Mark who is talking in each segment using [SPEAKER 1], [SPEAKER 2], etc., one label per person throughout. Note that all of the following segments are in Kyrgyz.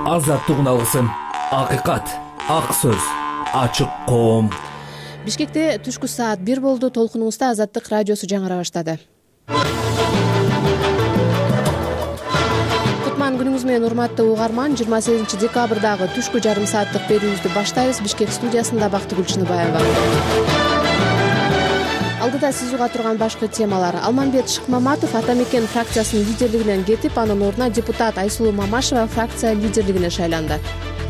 [SPEAKER 1] Азаттыгын алгысым, акыйкат, ак сөз, ачык коом.
[SPEAKER 2] Бишкекте түшкү саат 1 болду. Толкунуңузда Азаттык радиосу жаңыра баштады. Кутман күнүңүз менен урматтуу угарман. 28 декабрдагы түшкү жарым сааттык берүүбүздү баштайбыз. Бишкек студиясында Бактыгүл Чыныбаева. Алдыда сиз уга турган башкы темалар. Алмамбет Шыкмаматов Ата Мекен фракциясынын лидерлигинен кетип, анын ордуна депутат Айсулуу Мамашева фракция лидерлигине шайланды.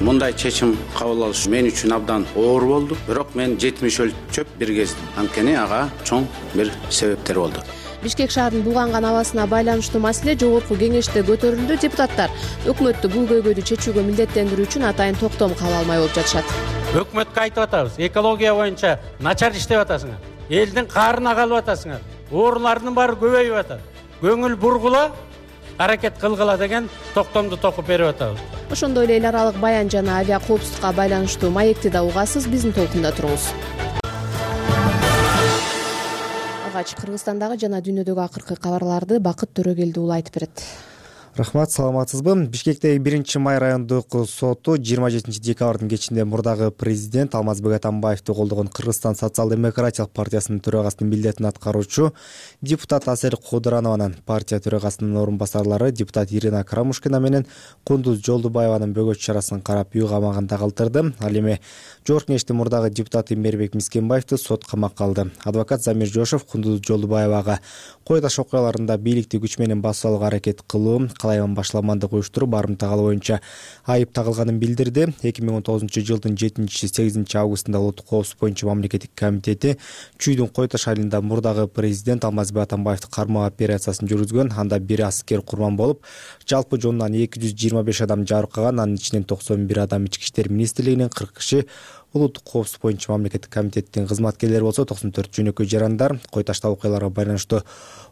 [SPEAKER 3] Мындай чечим кабыл алыш мен үчүн абдан оор болду. Бирок мен 70 өлчөп бир кездим. Анткени ага чоң бир себептер болду.
[SPEAKER 2] Бишкек шаарынын булганган абасына байланыштуу маселе жогорку кеңеште көтөрүлдү. Депутаттар өкмөттү бул көйгөйдү чечүүгө милдеттендирүү үчүн атайын токтом кабыл алмай болуп жатышат.
[SPEAKER 4] Өкмөткө айтып атабыз, экология боюнча начар иштеп атасыңар. Элдин каарына калып атасыңар. Оорулардын баары көбөйүп атат. Көңүл бургула, аракет кылгыла деген токтомду токуп берип атабыз.
[SPEAKER 2] Ошондой эле эл аралык баян жана авиа коопсуздукка байланыштуу маекти да угасыз. Биздин толкунда туруңуз. Алгач Кыргызстандагы жана дүйнөдөгү акыркы кабарларды Бакыт Төрөгелди уулу айтып берет.
[SPEAKER 5] Рахмат, саламатсызбы? Бишкектеги 1-май райондук соту 27 декабрдын кечинде мурдагы президент Алмазбек Атамбаевди колдогон Кыргызстан социал-демократиялык партиясынын төрагасынын милдетин аткаруучу депутат Асель Кодуранованын, партия төрагасынын орун басарлары депутат Ирина Карамушкина менен Кундуз Жолдубаеванын бөгөт чарасын карап үй камагында калтырды. Ал эми жогорку кеңештин мурдагы депутаты Мээрбек Мискенбаевди сот камакка алды. Адвокат Замир Жошов Кундуз Жолдубаевага кой таш окуяларында бийликти күч менен басып алууга аракет кылуу, калайман башламандык уюштуруп, барымтак алуу боюнча айып тагылганын билдирди. 2019-жылдын 7-8 августунда Улуттук коопсуздук боюнча мамлекеттик комитети Чүйдүн Кой Таш айылында мурдагы президент Алмазбек Атамбаевди кармоо операциясын жүргүзгөн. Анда бир аскер курман болуп, жалпы жонунан 225 адам жаракаган. Анын ичинен 91 адам Ички иштер министрлигинин, 40 киши Улуттук коопсуздук боюнча мамлекеттик комитеттин кызматкерлери болсо, 94 жөнөкөй жарандар. Кой Ташта окуяларга байланыштуу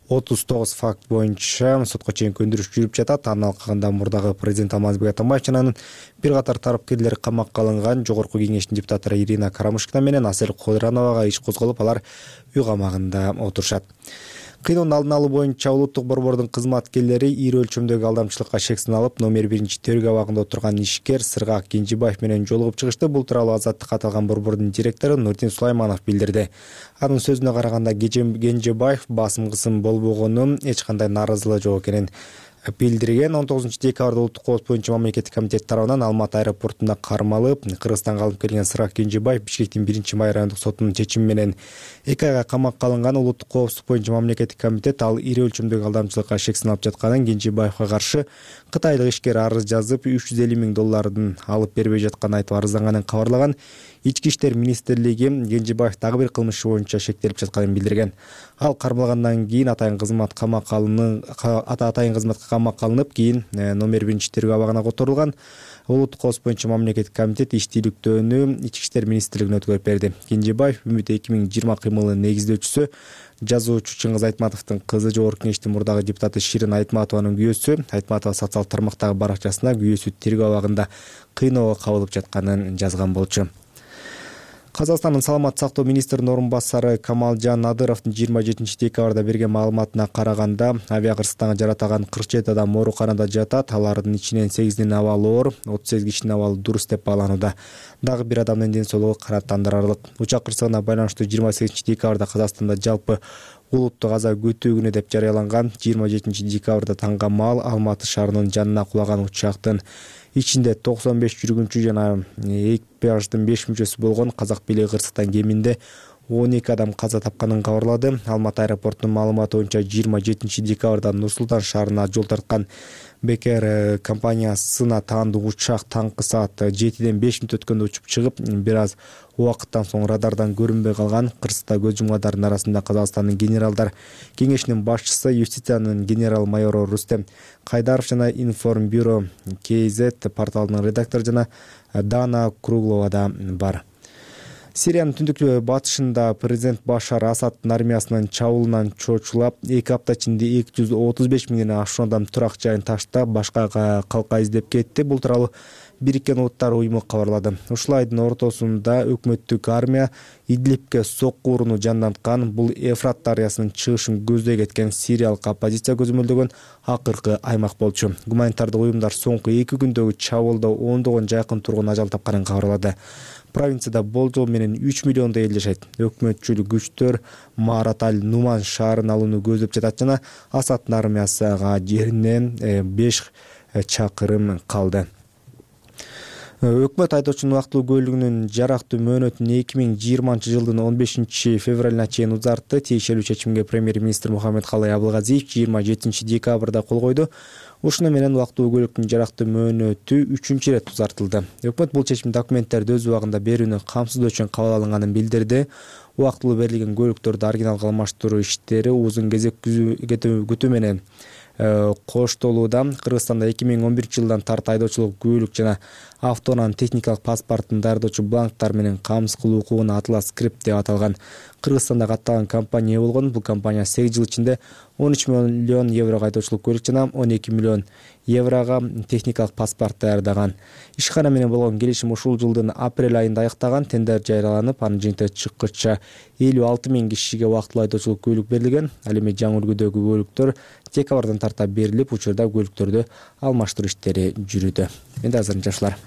[SPEAKER 5] 39 факт боюнча сотко чейинки өндүрүш жүрүп жатат. Анын алкагында мурдагы президент Алмазбек Атамбаев жана анын бир катар тарапкерлери камакка алынган. Жогорку кеңештин депутаттары Ирина Карамушкина менен Асель Кодурановага иш козголуп, алар үй камагында отурушат. Кыйноонун алдын алуу боюнча улуттук борбордун кызматкерлери ири өлчөмдөгү алдамчылыкка шек сыналып, номер 1 тергөө абагында отурган ишкер Сыргак Кенжебаев менен жолугуп чыгышты. Бул тууралуу Азаттык аталган борбордун директору Нурдин Сулайманов билдирди. Анын сөзүнө караганда Кенжебаев басым кысым болбогонун, эч кандай нааразылыгы жок экенин билдирген. 19 декабрда Улуттук коопсуздук боюнча мамлекеттик комитет тарабынан Алматы аэропортунда кармалып, Кыргызстанга алып келген Сыргак Кенжебаев Бишкектин 1-май райондук сотунун чечими менен 2 айга камакка алынган. Улуттук коопсуздук боюнча мамлекеттик комитет ал ири өлчөмдөгү алдамчылыкка шек сыналып жатканын, Кенжебаевга каршы кытайлык ишкер арыз жазып $350 миң алып бербей жатканын айтып арызданганын кабарлаган. Ички иштер министрлиги Кенжебаев дагы бир кылмыш боюнча шектелип жатканын билдирген. Ал кармалгандан кийин атайын кызматка камакка алынып, кийин номер 1 тергөө абагына которулган. Улуттук коопсуздук боюнча мамлекеттик комитет иштийликтөөнү Ички иштер министрлигине өткөрүп берди. Кенжебаев Үмүт 2020 кыймылынын негиздөөчүсү, жазуучу Чыңгыз Айтматовдун кызы, жогорку кеңештин мурдагы депутаты Ширин Айтматованын күйөөсү. Айтматова социалдык тармактагы баракчасына күйөөсү тергөө абагында кыйноого кабылып жатканын жазган болчу. Казакстандын саламаттык сактоо министринин орун басары Камалжан Надыровдун 27 декабрда берген маалыматына караганда, авиа кырсыктан жаратаган 47 адам ооруканада жатат. Алардын ичинен 8-дин абалы оор, 38 кишинин абалы дурус деп бааланууда. Дагы бир адамдын ден соолугу канааттандырарлык. Учак кырсыгына байланыштуу 28 декабрда Казакстанда жалпы улуттук аза күтүү күнү деп жарыяланган. 27 декабрда таңга маал Алматы шаарынын жанына кулаган учактын ичинде 95 жүргүнчү жана экипаждын 5 мүчөсү болгон казак бийлиги кырсыктан кеминде 12 адам каза тапканын кабарлады. Алматы аэропортунун маалыматы боюнча 27 декабрда Нур-Султан шаарына жол тарткан Бекер компаниясына таандык учак таңкы саат 7-ден 5 мүнөт өткөндө учуп чыгып, бир аз убакыттан соң радардан көрүнбөй калган. Кырсыкта көз жумгандардын арасында Казакстандын генералдар кеңешинин башчысы, юстициянын генерал-майору Рустем Кайдаров жана Информбюро КЗ порталынын редактору жана Дана Круглова да бар. Сириянын түндүк батышында президент Башар Асаддын армиясынын чабуулунан чочулап 2 апта ичинде 235 миңден ашуун адам турак жайын таштап башка калка издеп кетти. Бул тууралуу Бириккен Улуттар уюму кабарлады. Ушул айдын ортосунда өкмөттүк армия Идлибке сокку урууну жанданткан. Бул Эфрат дарыясынын чыгышын көздөй кеткен сириялык оппозиция көзөмөлдөгөн акыркы аймак болчу. Гуманитардык уюмдар соңку 2 күндөгү чабуулда ондогон жакын тургун ажал тапканын кабарлады. Провинцияда болжол менен 3 миллиондой эл жашайт. Өкмөтчүл күчтөр Марат аль-Нуман шаарын алууну көздөп жатат жана Асаддын армиясыга жеринен 5 чакырым калды. Өкмөт айдоочунун убактылуу көлүгүнүн жарактуу мөөнөтүн 2020 жылдын 15 февралына чейин узартты. Тиешелүү чечимге премьер-министр Мухаммед Калай Абылгазиев 27 декабрда кол койду. Ушуну менен убактылуу көлүктүн жарактуу мөөнөтү 3-чү ирет узартылды. Өкмөт бул чечим документтерди өз убагында берүүнү камсыздоо үчүн кабыл алынганын билдирди. Убактылуу берилген көлүктөрдү оригиналга алмаштыруу иштери узун кезек күтүү менен коштолууда. Кыргызстанда 2011 жылдан тарт айдоочулук күбөлүк жана автоунаа техникалык паспортун даярдоочу бланктар менен камсыз кылуу укугуна Atlas Script деп аталган Кыргызстанда катталган компания болгон. Бул компания 8 жыл ичинде 13 миллион еврого айдоочулук күбөлүк жана 12 миллион еврого техникалык паспорт даярдаган. Ишкана менен болгон келишим ушул жылдын апрель айында аяктаган. Тендер жарыяланып, анын жыйынтыгы чыккыча 56 миң кишиге убактылуу айдоочулук күбөлүк берилген. Ал эми жаңы үлгүдөгү күбөлүктөр декабрдан тарта берилип, учурда күбөлүктөрдү алмаштыруу иштери жүрүүдө. Менде азырынча ушулар.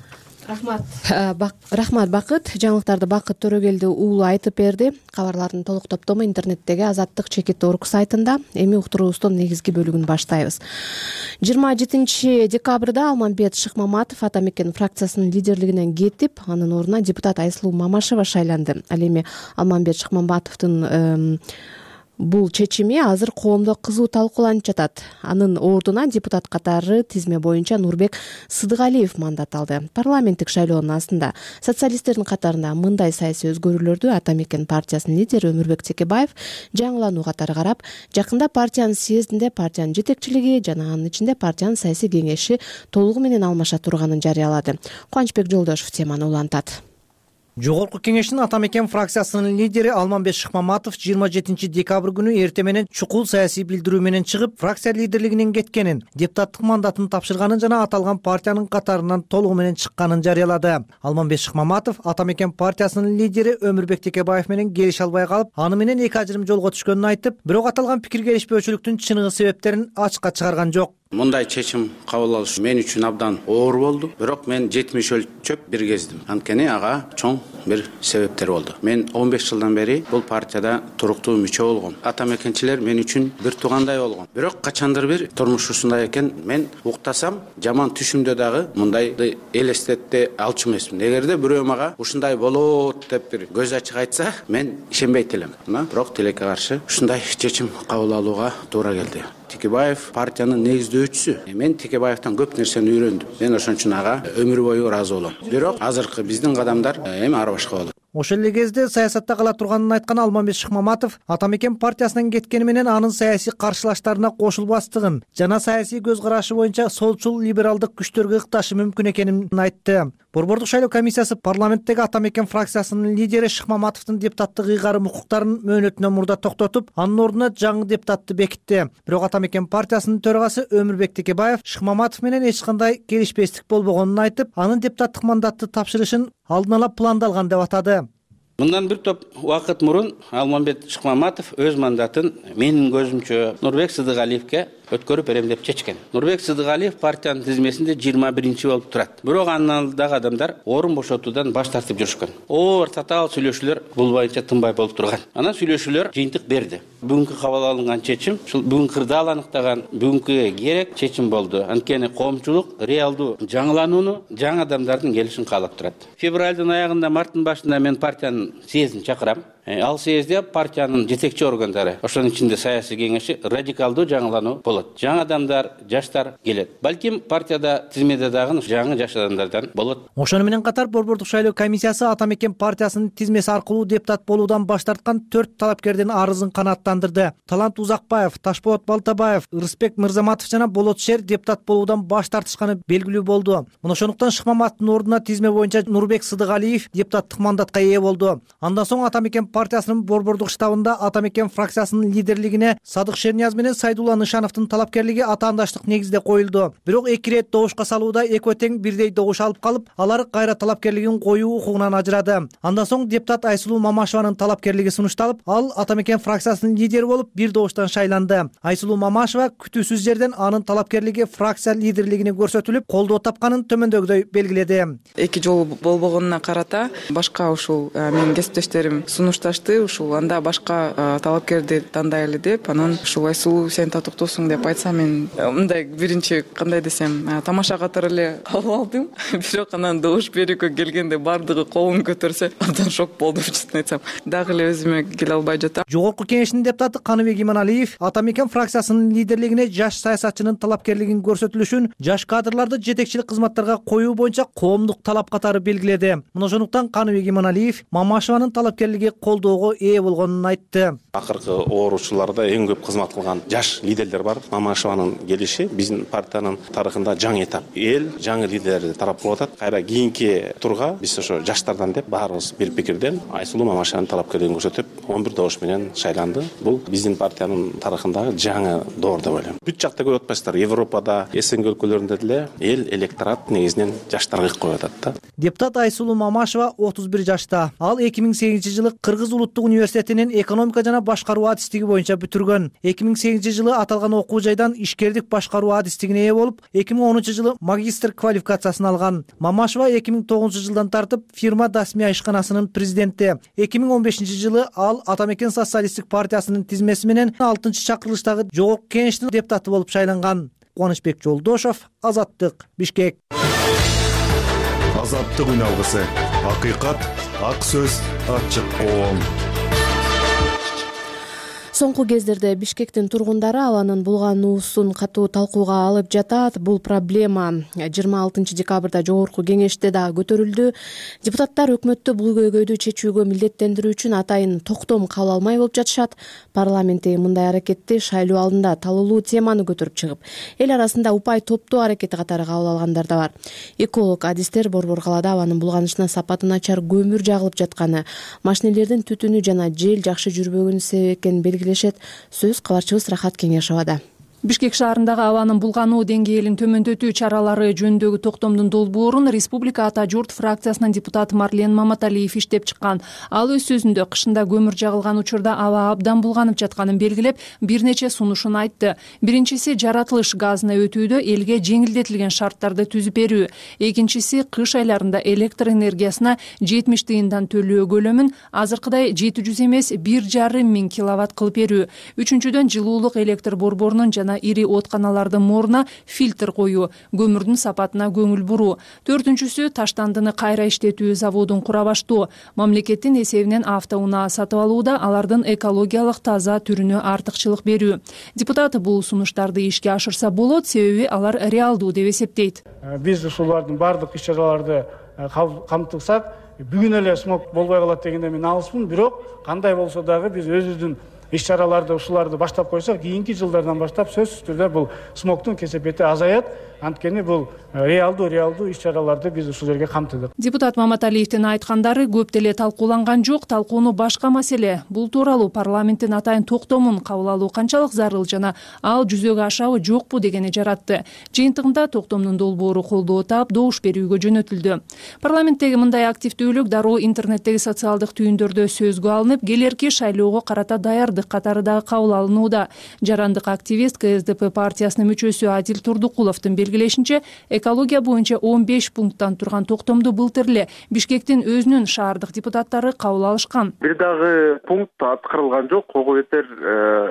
[SPEAKER 2] Рахмат Бакыт. Жаңылыктарды Бакыт Төрөгелди уулу айтып берди. Кабарлардын толук топтому интернеттеги Азаттык.org сайтында. Эми уктуруубуздун негизги бөлүгүн баштайбыз. 27 декабрда Алмамбет Шыкмаматов Ата Мекен фракциясынын лидерлигинен кетип, анын ордуна депутат Айсылуу Мамашева шайланды. Ал эми Алмамбет Шыкмаматовдун бул чечими азыр коомдо кызуу талкууланып жатат. Анын ордуна депутат катары тизме боюнча Нурбек Сыдыгалиев мандат алды. Парламенттик шайлоонун астында социалисттердин катарында мындай саясий өзгөрүүлөрдү Ата Мекен партиясынын лидери Өмүрбек Текебаев жаңылануу катары карап, жакында партиянын съездинде партиянын жетекчилиги жана анын ичинде партиянын саясий кеңеши толугу менен алмаша турганын жарыялады. Кубанычбек Жолдошев теманы улантат.
[SPEAKER 6] Жогорку кеңештин Ата Мекен фракциясынын лидери Алмамбет Шыкмаматов 27 декабрь күнү эрте менен чукул саясий билдирүү менен чыгып, фракция лидерлигинен кеткенин, депутаттык мандатын тапшырганын жана аталган партиянын катарынан толугу менен чыкканын жарыялады. Алмамбет Шыкмаматов Ата Мекен партиясынын лидери Өмүрбек Текебаев менен келише албай калып, аны менен эки ажырым жолго түшкөнүн айтып, бирок аталган пикир келишпөөчүлүктүн чыныгы себептерин ачыкка чыгарган жок.
[SPEAKER 3] Мындай чечим кабыл алыш мен үчүн абдан оор болду. Бирок мен 70 өлчөп бир кездим. Анткени ага чоң бир себептер болду. Мен 15 жылдан бери бул партияда туруктуу мүчө болгом. Ата Мекенчилер мен үчүн бир туугандай болгон. Бирок качандыр бир турмуш ушундай экен, мен уктасам жаман түшүмдө дагы мындайды элестете алчу эмесмин. Эгерде бирөө мага ушундай болот деп бир көз ачык айтса, мен ишенбейт элем. Бирок тилекке каршы ушундай чечим кабыл алууга туура келди. Текебаев партиянын негиздөөчүсү. Мен Текебаевтан көп нерсени үйрөндүм. Мен ошон үчүн ага өмүр бою ыраазы болом. Бирок азыркы биздин кадамдар эми ар башка болот.
[SPEAKER 6] Ошол эле кезде саясатта кала турганын айткан Алмамбет Шыкмаматов Ата Мекен партиясынан кеткени менен анын саясий каршылаштарына кошулбастыгын жана саясий көз карашы боюнча солчул либералдык күчтөргө ыкташы мүмкүн экенин айтты. Борбордук шайлоо комиссиясы парламенттеги Ата Мекен фракциясынын лидери Шыкмаматовдун депутаттык ыйгарым укуктарын мөөнөтүнөн мурда токтотуп, анын ордуна жаңы депутатты бекитти. Бирок Ата Мекен партиясынын төрагасы Өмүрбек Текебаев Шыкмаматов менен эч кандай келишпестик болбогонун айтып, анын депутаттык мандатты тапшырышын алдын ала пландалган деп атады.
[SPEAKER 7] Мындан бир топ убакыт мурун Алмамбет Шыкмаматов өз мандатын менин көзүмчө Нурбек Сыдыгалиевке өткөрүп берем деп чечкен. Нурбек Сыдыгалиев партиянын тизмесинде 21 болуп турат. Бирок анын алдындагы адамдар орун бошотуудан баш тартып жүрүшкөн. Оор татаал сүйлөшүүлөр бул боюнча тынбай болуп турган. Анан сүйлөшүүлөр жыйынтык берди. Бүгүнкү кабыл алынган чечим, ушул бүгүн кырдаал аныктаган бүгүнкү керек чечим болду. Анткени коомчулук реалдуу жаңыланууну, жаңы адамдардын келишин каалап турат. Февралдын аягында, марттын башында мен партиянын съездин чакырам. Ал съезде партиянын жетекчи органдары, ошонун ичинде саясий кеңеши радикалдуу жаңылануу болот. Жаңы адамдар, жаштар келет. Балким партияда тизмеде дагы жаңы жаш адамдардан болот.
[SPEAKER 6] Ошону менен катар Борбордук шайлоо комиссиясы Ата мекен партиясынын тизмеси аркылуу депутат болуудан баш тарткан 4 талапкердин арызын канааттандырды. Талант Узакбаев, Ташболот Балтабаев, Рыспек Мырзаматов жана Болот Шер депутат болуудан баш тартышканы белгилүү болду. Мына ошондуктан Шыкмаматовдун ордуна тизме боюнча Нурбек Сыдыгалиев депутаттык мандатка ээ болду. Андан соң Ата мекен партиясынын Борбордук штабында Ата мекен фракциясынын лидерлигине Садык Шернияз менен Сайдулла Нышановдун талапкерлиги атаандаштык негизде коюлду. Бирок 2 ирет добушка салууда экөө тең бирдей добуш алып калып, алар кайра талапкерлигин коюу укугунан ажырады. Андан соң депутат Айсулуу Мамашеванын талапкерлиги сунушталып, ал Ата мекен фракциясынын лидери болуп, бир добуштан шайланды. Айсулуу Мамашева күтүүсүз жерден анын талапкерлиги фракция лидерлигине көрсөтүлүп, колдоо тапканын төмөндөгүдөй белгиледи.
[SPEAKER 8] 2 жолу болбогонуна карата башка ушул менин кесиптештерим сунушташты, ушул анда башка талапкерди тандайлы деп, анан ушул Айсулуу сен татыктуусуң деп айтса, мен мындай биринчи кандай десем, тамаша катары эле калып алдым. Бирок анан добуш берүүгө келгенде бардыгы колун көтөрсө, абдан шок болдум, чын айтсам. Дагы эле өзүмө келе албай жатам.
[SPEAKER 6] Жогорку кеңештин депутаты Каныбек Иманалиев Ата мекен фракциясынын лидерлигине жаш саясатчынын талапкерлигин көрсөтүлүшүн жаш кадрларды жетекчилик кызматтарга коюу боюнча коомдук талап катары белгиледи. Мына ошондуктан Каныбек Иманалиев Мамашеванын талапкерлиги колдоого ээ болгонун айтты.
[SPEAKER 9] Акыркы ооручуларда эң көп кызмат кылган жаш лидерлер бар. Мамашеванын келиши биздин партиянын тарыхында жаңы этап. Эл жаңы лидерлерди тарап кылып атат. Кайра кийинки турга биз ошо жаштардан деп баарыбыз бир пикирден Айсулуу Мамашеванын талапкерлигин көрсөтүп, 11 добуш менен шайланды. Бул биздин партиянын тарыхындагы жаңы доор деп ойлойм. Бүт жакта көрүп атпайсыздар, Европада, СНГ өлкөлөрүндө деле эл электорат негизинен жаштарга коюп атат да.
[SPEAKER 6] Депутат Айсулуу Мамашева 31 жашта. Ал 2008-жылы Кыргыз улуттук университетинин экономика жана башкаруу адистиги боюнча бүтүргөн. 2008-жылы аталган окуу жайдан ишкердик башкаруу адистигине ээ болуп, 2010-жылы магистр квалификациясын алган. Мамашева 2009-жылдан тартып фирма Дасмия ишканасынын президенти. 2015-жылы ал Ата мекен социалисттик партиясынын тизмеси менен 6-чакырылыштагы жогорку кеңештин депутаты болуп шайланган. Кубанычбек Жолдошов, Азаттык, Бишкек.
[SPEAKER 10] Азаттык үн алгысы. Акыйкат, ак сөз, ачык коом.
[SPEAKER 2] Соңку кездерде Бишкектин тургундары абанын булгануусун катуу талкууга алып жатат. Бул проблема 26 декабрда жогорку кеңеште да көтөрүлдү. Депутаттар өкмөттү бул көйгөйдү чечүүгө милдеттендирүү үчүн атайын токтом кабыл алмай болуп жатышат. Парламентте мындай аракетти шайлоо алдында талуулуу теманы көтөрүп чыгып, эл арасында упай топтоо аракети катары кабыл алгандар да бар. Эколог адистер Борбор калаада абанын булганышына сапаты начар көмүр жагылып жатканы, машинелердин түтүнү жана жел жакшы жүрбөгөнү себеп экенин белгилешет. Сөз кабарчыбыз Рахат Кеңешовада.
[SPEAKER 11] Бишкек шаарындагы абанын булгануу деңгээлин төмөндөтүү чаралары жөнүндөгү токтомдун долбоорун Республика Ата журт фракциясынын депутаты Марлен Маматалиев иштеп чыккан. Ал өз сөзүндө кышында көмүр жагылган учурда аба абдан булганып жатканын белгилеп, бир нече сунушун айтты. Биринчиси жаратылыш газына өтүүдө элге жеңилдетилген шарттарды түзүп берүү. Экинчиси кыш айларында электр энергиясына 70 тыйындан төлөө көлөмүн азыркыдай 700 эмес 1,5 миң киловатт кылып берүү. Үчүнчүдөн жылуулук электр борборунун жана ири отканалардын моруна фильтр коюу, көмүрдүн сапатына көңүл буруу. Төртүнчүсү таштандыны кайра иштетүү заводун кура баштоо. Мамлекеттин эсебинен автоунаа сатып алууда алардын экологиялык таза түрүнө артыкчылык берүү. Депутат бул сунуштарды ишке ашырса болот, себеби алар реалдуу деп эсептейт.
[SPEAKER 12] Биз ушулардын бардык иш-чараларды камтыксак, бүгүн эле смог болбой калат дегенде мен алыспын, бирок кандай болсо дагы биз өзүбүздүн иш-чараларды ушуларды баштап койсок, кийинки жылдардан баштап сөзсүз түрдө бул смогтун кесепети азаят. Анткени бул реалдуу иш-чараларды биз ушул жерге камтыдык.
[SPEAKER 11] Депутат Маматалиевдин айткандары көп деле талкууланган жок. Талкууну башка маселе. Бул тууралуу парламенттин атайын токтомун кабыл алуу канчалык зарыл жана ал жүзөгө ашабы жокпу дегени жаратты. Жыйынтыгында токтомдун долбоору колдоо таап, добуш берүүгө жөнөтүлдү. Парламенттеги мындай активдүүлүк дароо интернеттеги социалдык түйүндөрдө сөзгө алынып, келерки шайлоого карата даярдык бардык катары дагы кабыл алынууда. Жарандык активист КСДП партиясынын мүчөсү Адил Турдукуловдун белгилешинче, экология боюнча 15 пункттан турган токтомду былтыр эле Бишкектин өзүнүн шаардык депутаттары кабыл алышкан.
[SPEAKER 13] Бир дагы пункт аткарылган жок, ого бетер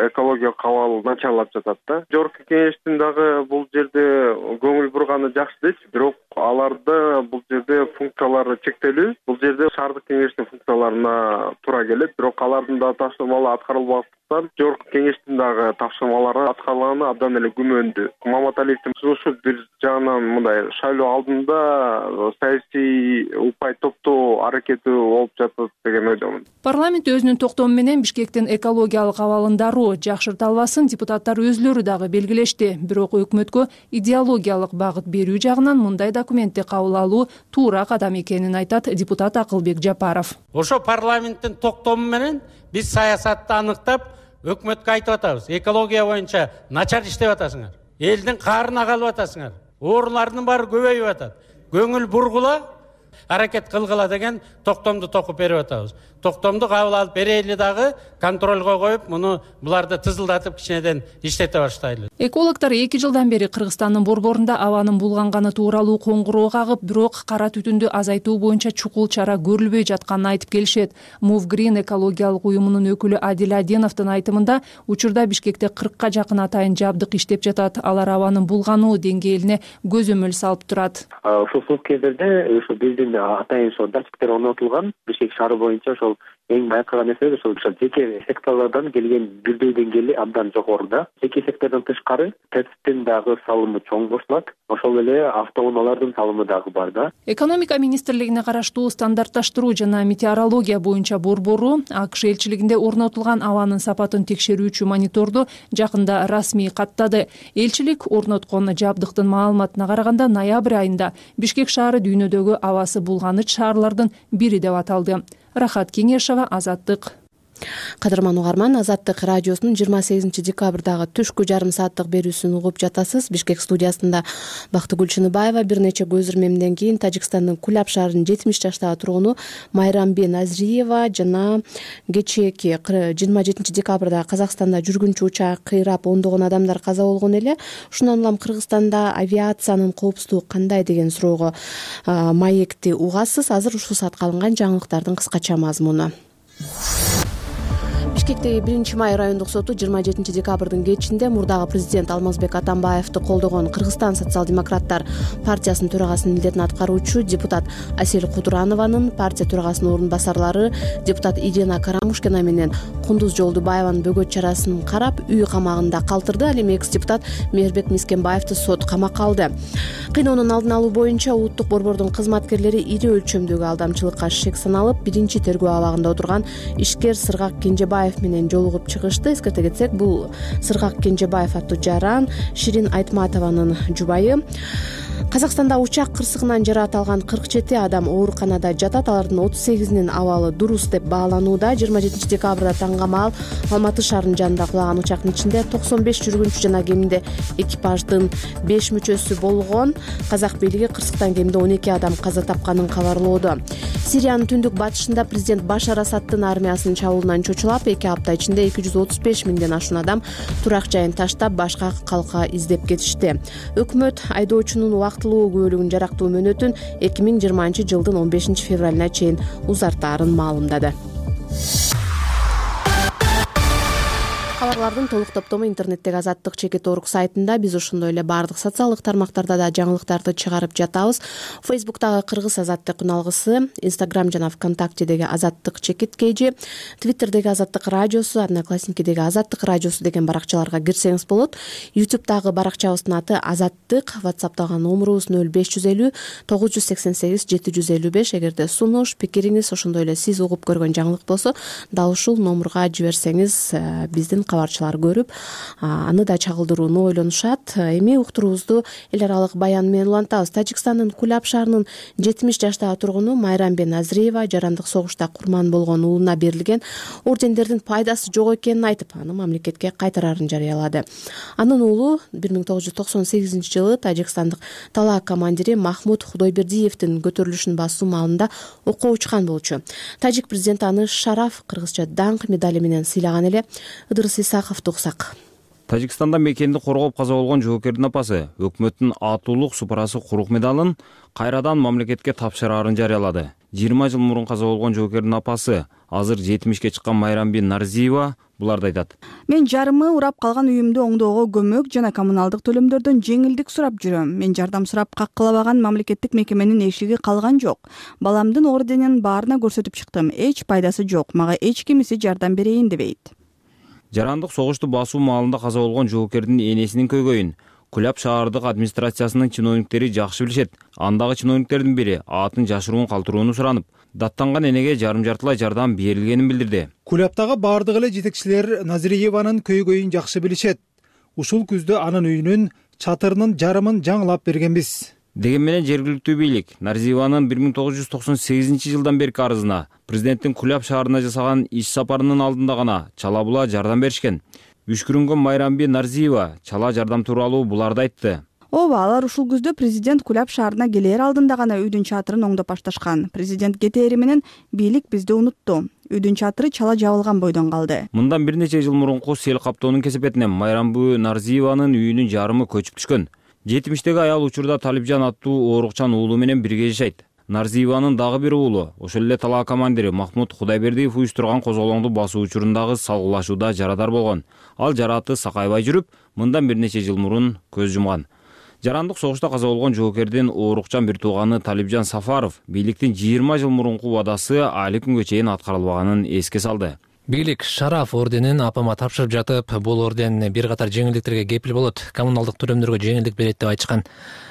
[SPEAKER 13] экология кабыл начарлап жатат да. Жогорку кеңештин дагы бул жерде көңүл бурганы жакшы дейт, бирок аларда бул жерде функциялары чектелүү. Бул жерде шаардык кеңештин функцияларына туура келет, бирок алардын да тапшырмалары аткарылбагандыктан жогорку кеңештин дагы тапшырмалары аткарылганы абдан эле күмөндүү. Маматалиевдин сунушу бир жагынан мындай шайлоо алдында саясий упай топтоо аракети болуп жатат деген ойдомун.
[SPEAKER 11] Парламент өзүнүн токтому менен Бишкектин экологиялык абалын дароо жакшырта албасын депутаттар өзлөрү дагы белгилешти. Бирок өкмөткө идеологиялык багыт берүү жагынан мындай документти кабыл алуу туура кадам экенин айтат депутат Акылбек Жапаров.
[SPEAKER 4] Ошо парламенттин токтому менен биз саясатты аныктап, өкмөткө айтып атабыз. Экология боюнча начар иштеп атасыңар. Элдин каарына калып атасыңар. Оорулардын баары көбөйүп атат. Көңүл бургула, аракет кылгыла деген токтомду токуп берип атабыз. Токтомду кабыл алып берели дагы контролго коюп, муну буларды тызылдатып кичинеден иштете баштайлы.
[SPEAKER 11] Экологдор 2 жылдан бери Кыргызстандын борборунда абанын булганганы тууралуу коңгуроо кагып, бирок кара түтүндү азайтуу боюнча чукул чара көрүлбөй жатканын айтып келишет. Move Green экологиялык уюмунун өкүлү Адил Аденовдун айтымында, учурда Бишкекте 40ка жакын атайын жабдык иштеп жатат. Алар абанын булгануу деңгээлине көзөмөл салып турат.
[SPEAKER 14] Ошол сук кездерде ошо биздин атайын ошо датчиктер орнотулган. Бишкек шаары боюнча ошол эң байкаган нерсе ошол жеке секторлордон келген бирдей деңгээли абдан жогоруда. Жеке сектордон тышкары ТЭЦтин дагы салымы чоң бошулат. Ошол эле автоунаалардын салымы дагы бар да.
[SPEAKER 11] Экономика министрлигине караштуу стандартташтыруу жана метеорология боюнча борбору АКШ элчилигинде орнотулган абанын сапатын текшерүүчү мониторду жакында расмий каттады. Элчилик орноткон жабдыктын маалыматына караганда, ноябрь айында Бишкек шаары дүйнөдөгү абасы булганыч шаарлардын бири деп аталды. Рахат Кеңешова, Азаттык.
[SPEAKER 2] Кадырман угарман, Азаттык радиосунун 28 декабрдагы түшкү жарым сааттык берүүсүн угуп жатасыз. Бишкек студиясында Бактыгүл Чыныбаева. Бир нече көз ирмемден кийин Тажикстандын Куляб шаарынын 70 жаштагы тургуну Майрамбек Назриева жана кечээки 27 декабрда Казакстанда жүргүнчү учак кыйрап ондогон адамдар каза болгон эле. Ушундан улам Кыргызстанда авиациянын коопсуздугу кандай деген суроого маекти угасыз. Азыр ушул саатка алынган жаңылыктардын кыскача мазмуну. Бишкектеги 1-май райондук соту 27 декабрдын кечинде мурдагы президент Алмазбек Атамбаевди колдогон Кыргызстан социал-демократтар партиясынын төрагасынын милдетин аткаруучу депутат Асель Кудуранованын, партия төрагасынын орун басарлары депутат Ирина Карамушкина менен Кундуз Жолдубаеванын бөгөт чарасын карап, үй камагында калтырды. Ал эми экс-депутат Мээрбек Мискенбаевди сот камакка алды. Кыйноонун алдын алуу боюнча улуттук борбордун кызматкерлери ири өлчөмдөгү алдамчылыкка шек саналып, биринчи тергөө абагында отурган ишкер Сыргак Кенжебаев менен жолугуп чыгышты. Эскерте кетсек, бул Сыргак Кенжебаев аттуу жаран Ширин Айтматованын жубайы. Казакстанда учак кырсыгынан жаракат алган 47 адам ооруканада жатат. Алардын 38-нин абалы дурус деп бааланууда. 27 декабрда таңгамал Алматы шаарынын жанында кулаган учактын ичинде 95 жүргүнчү жана кеминде экипаждын 5 мүчөсү болгон. Казак бийлиги кырсыктан кеминде 12 адам каза тапканын кабарлоодо. Сириянын түндүк батышында президент Башар Асаддын армиясынын чабуулунан чочулап, 2 апта ичинде 235 миңден ашуун адам турак жайын таштап, башка калка издеп кетишти. Өкмөт айдоочунун убактылуу күбөлүгүн жарактуу мөөнөтүн 2020 жылдын 15 февралына чейин узартаарын маалымдады. Кабарлардын толук топтому интернеттеги Азаттык чекит орг сайтында. Биз ошондой эле баардык социалдык тармактарда да жаңылыктарды чыгарып жатабыз. Фейсбуктагы Кыргыз Азаттык үналгысы, Инстаграм жана ВКонтактедеги Азаттык чекит кейжи, Твиттердеги Азаттык радиосу, Одноклассникидеги Азаттык радиосу деген баракчаларга кирсеңиз болот. Ютубтагы баракчабыздын аты Азаттык, WhatsAppтагы номерубуз 0550 988 755. Эгерде сунуш, пикириңиз, ошондой эле сиз угуп көргөн жаңылык болсо, дал ушул номерга жиберсеңиз, биздин кабарчылар көрүп аны да чагылдырууну ойлонушат. Эми уктуруубузду эл аралык баян менен улантабыз. Тажикстандын Куляб шаарынын 70 жаштагы тургуну Майрамбек Назирева жарандык согушта курман болгон уулуна берилген ордендердин пайдасы жок экенин айтып, аны мамлекетке кайтарарын жарыялады. Анын уулу 1998 Тажикстандык талаа командири Махмуд Худойбердиевдин көтөрүлүшүн басуу маалында окко учкан болчу. Тажик президенти аны шараф, кыргызча даңк медали менен сыйлаган эле. Ыдырыс Исаковду уксак.
[SPEAKER 15] Тажикстанда мекенди коргоп каза болгон жоокердин апасы өкмөттүн атуулук супарасы Курук медалын кайрадан мамлекетке тапшырарын жарыялады. 20 жыл мурун каза болгон жоокердин апасы азыр 70ке чыккан Майрамби Нарзиева буларды айтат.
[SPEAKER 16] Мен жарымы урап калган үйүмдү оңдоого көмөк жана коммуналдык төлөмдөрдөн жеңилдик сурап жүрөм. Мен жардам сурап каккылабаган мамлекеттик мекеменин эшиги калган жок. Баламдын орденин баарына көрсөтүп чыктым. Эч пайдасы жок. Мага эч кимиси жардам берейин дебейт.
[SPEAKER 15] Жарандык согушту басуу маалында каза болгон жоокердин энесинин көйгөйүн Куляб шаардык администрациясынын чиновниктери жакшы билишет. Андагы чиновниктердин бири атын жашыруун калтырууну суранып, даттанган энеге жарым-жартылай жардам берилгенин билдирди.
[SPEAKER 17] Кулябтагы бардык эле жетекчилер Назирееванын көйгөйүн жакшы билишет. Ушул күздө анын үйүнүн чатырынын жарымын жаңылап бергенбиз.
[SPEAKER 15] Деген менен жергиликтүү бийлик Нарзиеванын 1998 жылдан берки арызына президенттин Куляб шаарына жасаган иш сапарынын алдында гана чала була жардам беришкен. Үшкүрүнгөн Майрамби Нарзиева чала жардам тууралуу буларды айтты.
[SPEAKER 16] Ооба, алар ушул күздө президент Куляб шаарына келээр алдында гана үйдүн чатырын оңдоп башташкан. Президент кетери менен бийлик бизди унутту. Үйдүн чатыры чала жабылган бойдон калды.
[SPEAKER 15] Мындан бир нече жыл мурунку сел каптоонун кесепетинен Майрамби Нарзиеванын үйүнүн жарымы көчүп түшкөн. 70-теги аял учурда Талипжан аттуу оорукчан уулу менен бирге жашайт. Нарзиеванын дагы бир уулу, ошол эле талаа командири Махмуд Худайбердиев уюштурган козголоңду басуу учурундагы салгылашууда жарадар болгон. Ал жарааты сакайбай жүрүп, мындан бир нече жыл мурун көз жумган. Жарандык согушта каза болгон жоокердин оорукчан бир тууганы Талипжан Сафаров бийликтин 20 жыл мурунку убадасы али күнгө чейин аткарылбаганын эске салды.
[SPEAKER 18] Бийлик шараф орденин апама тапшырып жатып, бул орден бир катар жеңилдиктерге кепил болот, коммуналдык төлөмдөргө жеңилдик берет деп айтышкан.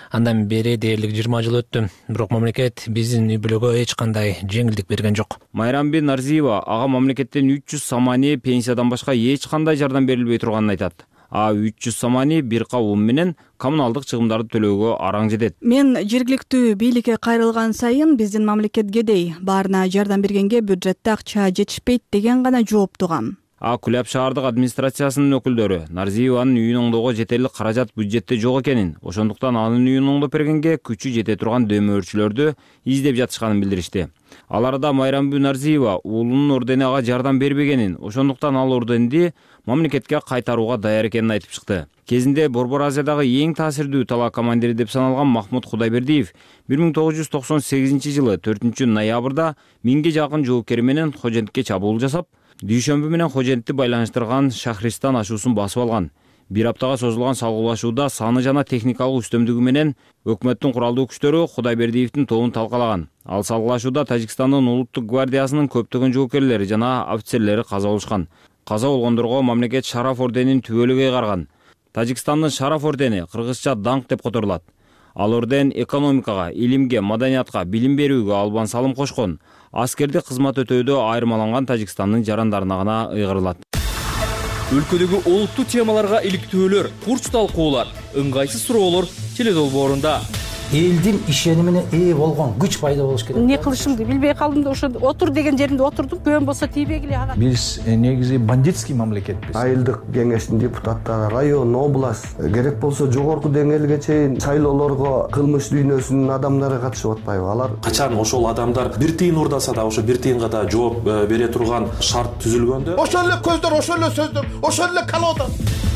[SPEAKER 18] Андан бери дээрлик 20 жыл өттү, бирок мамлекет биздин үй бүлөгө эч кандай жеңилдик берген жок.
[SPEAKER 15] Майрамби Нарзиева ага мамлекеттен 300 самани пенсиядан башка эч кандай жардам берилбей турганын айтат. 300 самани бир кабым менен коммуналдык чыгымдарды төлөөгө араң жетет.
[SPEAKER 16] Мен жергиликтүү бийликке кайрылган сайын биздин мамлекет кедей, баарына жардам бергенге бюджетте акча жетишпейт деген гана жооп тугам.
[SPEAKER 15] Куляб шаардык администрациясынын өкүлдөрү Нарзиеванын үйүн оңдоого жетерлик каражат бюджетте жок экенин, ошондуктан анын үйүн оңдоп бергенге күчү жете турган дөмөрчүлөрдү издеп жатышканын билдиришти. Аларда Майрамби Нарзиева уулунун ордени ага жардам бербегенин, ошондуктан ал орденди мамлекетке кайтарууга даяр экенин айтып чыкты. Кезинде Борбор Азиядагы эң таасирдүү талаа командири деп саналган Махмуд Худайбердиев 1998 жылы 4 ноябрда 1000ге жакын жоокери менен Хожентке чабуул жасап, дүйшөмбү менен Хожентти байланыштырган Шахристан ашуусун басып алган. Бир аптага созулган салгылашууда саны жана техникалык үстөмдүгү менен өкмөттүн куралдуу күчтөрү Худайбердиевдин тобун талкалаган. Ал салгылашууда Тажикстандын улуттук гвардиясынын көптөгөн жоокерлери жана офицерлери каза болушкан. Каза болгондорго мамлекет шараф орденин түбөлүгү ыйгарган. Тажикстандын шараф ордени кыргызча даңк деп которулат. Ал орден экономикага, илимге, маданиятка, билим берүүгө албан салым кошкон, аскердик кызмат өтөөдө айырмаланган Тажикстандын жарандарына гана ыйгарылат.
[SPEAKER 19] Өлкөдөгү олуттуу темаларга иликтөөлөр, курч талкуулар, ыңгайсыз суроолор теледолбоорунда.
[SPEAKER 20] Элдин ишенимине ээ болгон күч пайда болуш керек.
[SPEAKER 21] Не кылышымды билбей калдым да ошо отур деген жеримде отурдум. Көөн болсо тийбегиле ага.
[SPEAKER 22] Биз негизи бандитский мамлекетпиз.
[SPEAKER 23] Айылдык кеңештин депутаттары, район, область, керек болсо жогорку деңгээлге чейин шайлоолорго кылмыш дүйнөсүнүн адамдары катышып атпайбы? Алар
[SPEAKER 24] качан ошол адамдар бир тыйын урдаса да ошо бир тыйынга да жооп бере турган шарт түзүлгөндө,
[SPEAKER 25] ошол эле көздөр, ошол эле сөздөр, ошол эле колода.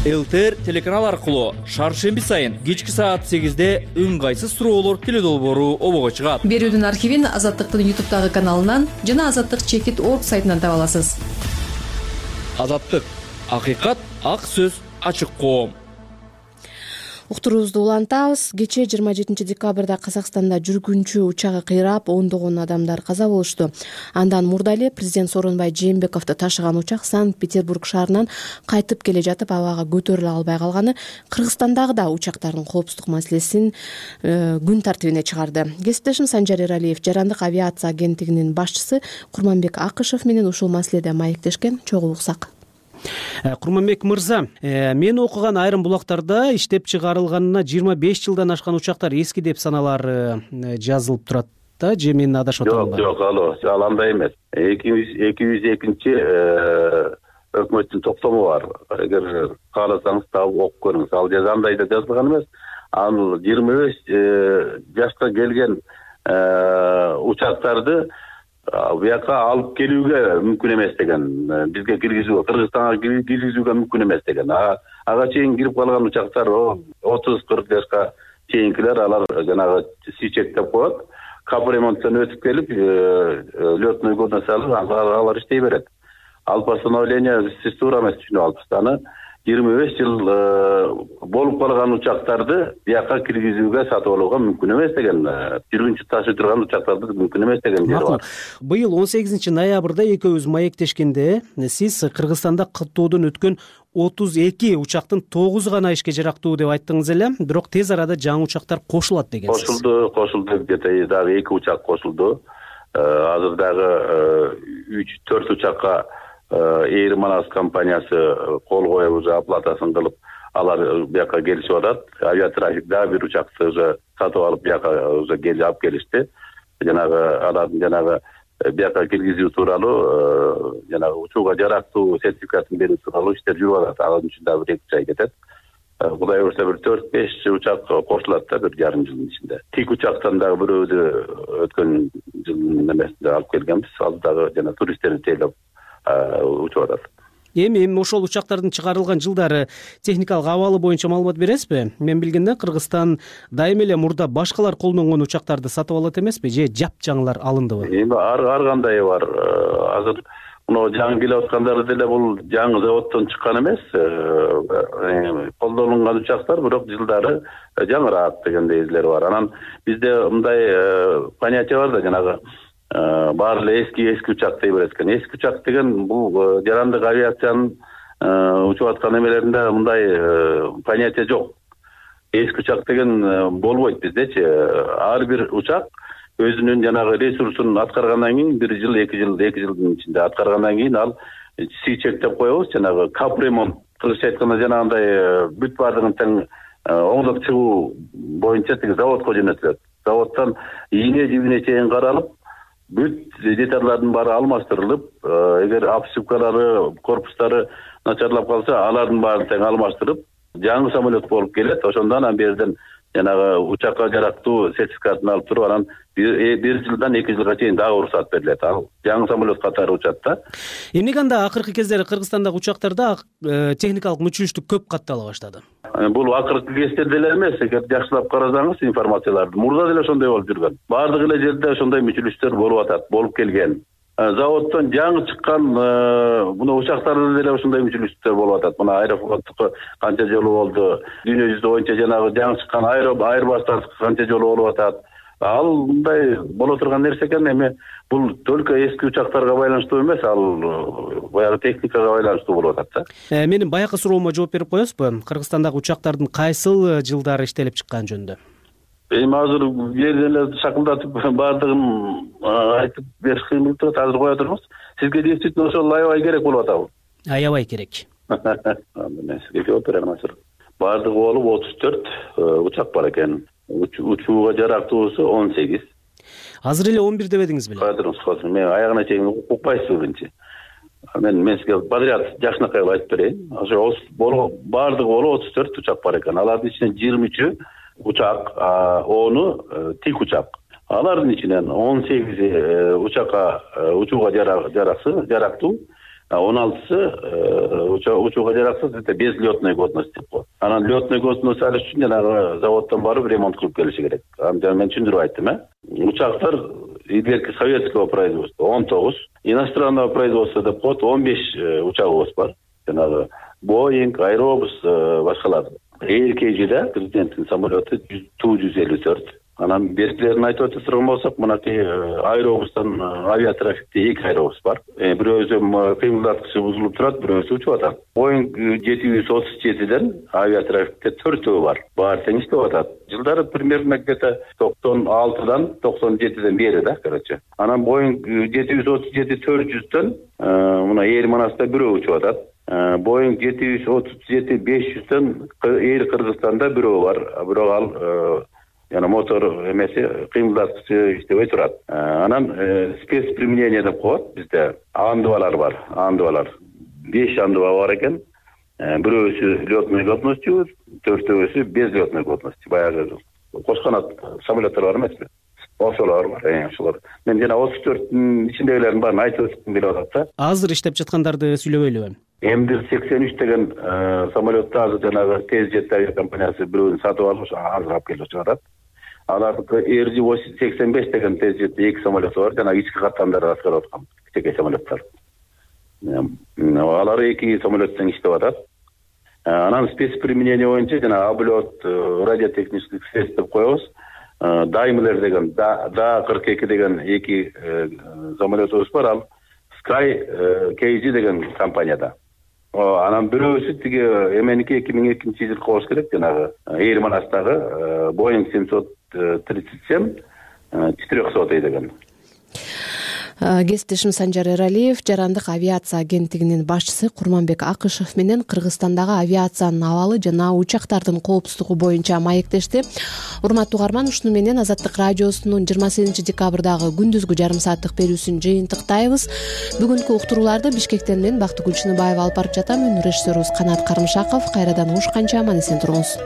[SPEAKER 19] ЛТР телеканал аркылуу шаршемби сайын кечки саат 8-де ыңгайсыз суроолор теледолбоору обого чыгат.
[SPEAKER 26] Берүүдүн архивин Азаттыктын YouTube каналынан жана Азаттык чекит орг сайтынан таба аласыз.
[SPEAKER 19] Азаттык, акыйкат, ак сөз, ачык коом.
[SPEAKER 2] Уктуруубузду улантабыз. Кечээ 27 декабрда Казакстанда жүргүнчү учагы кыйрап, ондогон адамдар каза болушту. Андан мурда эле президент Сооронбай Жээнбековду ташыган учак Санкт-Петербург шаарынан кайтып келе жатып абага көтөрүлө албай калганы Кыргызстандагы да учактардын коопсуздук маселесин күн тартибине чыгарды. Кесиптешим Санжар Эралиев жарандык авиация агенттигинин башчысы Курманбек Акышев менен ушул маселеде маектешкен. Чогуу уксак.
[SPEAKER 1] Курманбек мырза, мен окуган айрым булактарда иштеп чыгарылганына 25 жылдан ашкан учактар эски деп саналары жазылып турат да, же мен адашып атамбы?
[SPEAKER 3] Жок, ал андай эмес. 202-чи өкмөттүн токтому бар. Эгер кааласаңыз таап окуп көрүңүз. Ал жерде андай да жазылган эмес. Ал 25 жашка келген учактарды буяка алып келүүгө мүмкүн эмес деген, бизге киргизүүгө, Кыргызстанга киргизүүгө мүмкүн эмес деген. Ага чейин кирип калган учактар 30-40 жашка чейинкилер, алар жанагы сичек деп коет. Капремонттон өтүп келип, лётный годно салып, алар иштей берет. Ал постановление сиз туура эмес түшүнүп алыпсыз. Аны 25 жыл болуп калган учактарды бияка киргизүүгө, сатып алууга мүмкүн эмес деген, жүргүнчү ташып турган учактарды мүмкүн эмес деген жери бар.
[SPEAKER 1] Быйыл 18 ноябрда экөөбүз маектешкенде сиз Кыргызстанда каттоодон өткөн 32 учактын 9 гана ишке жарактуу деп айттыңыз эле, бирок тез арада жаңы учактар кошулат дегенсиз.
[SPEAKER 3] Кошулду, где-то дагы 2 учак кошулду. Азыр дагы 3-4 учакка Эйр Манас компаниясы кол коюп, уже оплатасын кылып, алар бияка келишип атат. Авиатрафик дагы бир учакты уже сатып алып, бияка уже алып келишти. Алардын бияка киргизүү тууралуу, учууга жарактуу сертификатын берүү тууралуу иштер жүрүп атат. Анын үчүн дагы 2 ай кетет. Кудай буюрса бир 4-5 учак кошулат да, 1,5 жылдын ичинде. Тик учактан дагы бирөөдү өткөн жылдын эмесинде алып келгенбиз. Ал дагы туристтерди тейлеп учуп атат.
[SPEAKER 1] Эми ошол учактардын чыгарылган жылдары техникалык абалы боюнча маалымат бересизби? Мен билгенде Кыргызстан дайыма эле мурда башкалар колдонгон учактарды сатып алат эмеспи, же жапжаңылар алындыбы?
[SPEAKER 3] Эми ар кандай бар. Азыр мына жаңы келип аткандары деле бул жаңы заводдон чыккан эмес. Колдонулган учактар, бирок жылдары жаңыраак дегендей излер бар. Анан бизде мындай понятие бар да, жанагы баары эле эски учак дей берет экен. Эски учак деген бул жарандык авиациянын учуп аткан эмелеринде мындай понятие жок. Эски учак деген болбойт биздечи. Ар бир учак өзүнүн жанагы ресурсун аткаргандан кийин 1 жыл, 2 жылдын ичинде аткаргандан кийин ал сичек деп коебуз, жанагы капремонт. Кыргызча айтканда жанагындай бүт баардыгын тең оңдоп чыгуу боюнча тиги заводко жөнөтүлөт. Заводдон ийне жибине чейин каралып, бүт детальдардын баары алмаштырылып, эгер обшивкалары, корпустары начарлап калса, алардын баарын тең алмаштырып, жаңы самолет болуп келет. Ошондон анан берден жанагы учакка жарактуу сертификатын алып туруп, анан 1 жылдан 2 жылга чейин дагы уруксат берилет. Ал жаңы самолет катары учат да.
[SPEAKER 1] Эмнеге анда акыркы кездери Кыргызстандагы учактарда техникалык мүчүлүштүк көп каттала баштады?
[SPEAKER 3] Бул акыркы кездерде эле эмес, эгер жакшылап карасаңыз информацияларды, мурда деле ошондой болуп жүргөн. Баардык эле жерде ошондой мүчүлүштөр болуп атат, болуп келген. Заводдон жаңы чыккан мына учактарда деле ошондой мүчүлүштөр болуп атат. Мына Аэрофлоттуку канча жолу болду, дүйнө жүзү боюнча жанагы жаңы чыккан Airbus'тардыкы канча жолу болуп атат. Ал мындай боло турган нерсе экен. Эми бул только эски учактарга байланыштуу эмес, ал баягы техникага байланыштуу болуп атат да.
[SPEAKER 1] Менин баягы суроомо жооп берип коесузбу? Кыргызстандагы учактардын кайсыл жылдары иштелип чыккан жөнүндө?
[SPEAKER 3] Эми азыр жерден эле шакылдатып баардыгын айтып бериш кыйын болуп турат. Азыр кое турмуз. Сизге действительно ошол аябай керек болуп атабы?
[SPEAKER 1] Аябай керек.
[SPEAKER 3] Мен сизге жооп берем азыр. Баардыгы болуп 34 учак бар экен. Учууга жарактуусу 18.
[SPEAKER 1] Азыр эле 11 дебедиңиз беле?
[SPEAKER 3] Кадырыңыз, мен аягына чейин укпайсызбы биринчи? Мен сизге подряд жакшынакай айтып берейин. Ошо баардыгы болуп 34 учак бар экен. Алардын ичинен 23 учак, 10 тик учак. Алардын ичинен 18 учакка учууга жарактуу, 16сы учууга жараксыз, без лётной годности деп коет. Анан лётной годность алыш үчүн жанагы заводдон барып ремонт кылып келиши керек. Мен түшүндүрүп айттым, Учактар илгерки советского производства 19, иностранного производства деп коет 15 учагыбыз бар. Жанагы Boeing, Airbus, башкалар. KG-да президенттин самолеты Ту-154. Анан беркилерин айтып өтүргөн болсок, мынакей Airbus'тан авиатрафикте 2 Airbus бар. Бирөөсү кыймылдаткычы бузулуп турат, бирөөсү учуп атат. Boeing 737ден авиатрафикте 4 бар. Баары тең иштеп атат. Жылдары примерно где-то 96дан 97ден бери да, короче. Анан Boeing 737-400дөн мына Эйр Манаста бирөө учуп атат. Boeing 737-500'den Air Kırgızstan'da büroo var. Bирок ал yani motor emesi кыймылдаткычы иштебей турат. Анан спецприменение деп коет бизде. Андыбалар бар. Андыбалар 5 андыба бар экен. Бирөөсү лётный годностью, төртөөсү без лётной годности. Баягы кош канат самолеттер бар эмеспи? Ошолор бар, ошолор. Мен жана 34-тün ичиндегилердин баарын айтып өткүм келип атат да.
[SPEAKER 1] Азыр иштеп жаткандарды сүйлөбөйлүбү?
[SPEAKER 3] М183 деген самолетту азыр жанагы тез жет авиакомпаниясы бирөөнү сатып алып, азыр алып келип жатат. Алардыкы RJ-85 деген тез жет 2 самолеты бар, жанагы ички каттамдарды аткарып аткан кичинекей самолеттер. Алар 2 самолеттен иштеп атат. Анан спецприменение боюнча жана облет радиотехнических средств деп коебуз. Daimler деген Da-42 деген 2 самолетубуз бар, ал Sky KG деген компанияда. Анан бирөөсү тиги эменики 2002-жылы болуш керек, жанагы Эйр-Манастагы Boeing 737 400 деген.
[SPEAKER 2] Кесиптешим Санжар Эралиев жарандык авиация агенттигинин башчысы Курманбек Акышев менен Кыргызстандагы авиациянын абалы жана учактардын коопсуздугу боюнча маектешти. Урматтуу угарман, ушуну менен Азаттык радиосунун 28-декабрдагы күндүзгү жарым сааттык берүүсүн жыйынтыктайбыз. Бүгүнкү уктурууларды Бишкектен мен Бактыгүл Чыныбаева алып барып жатам. Режиссерубуз Канат Карымшаков. Кайрадан угушканча аман эсен туруңуз.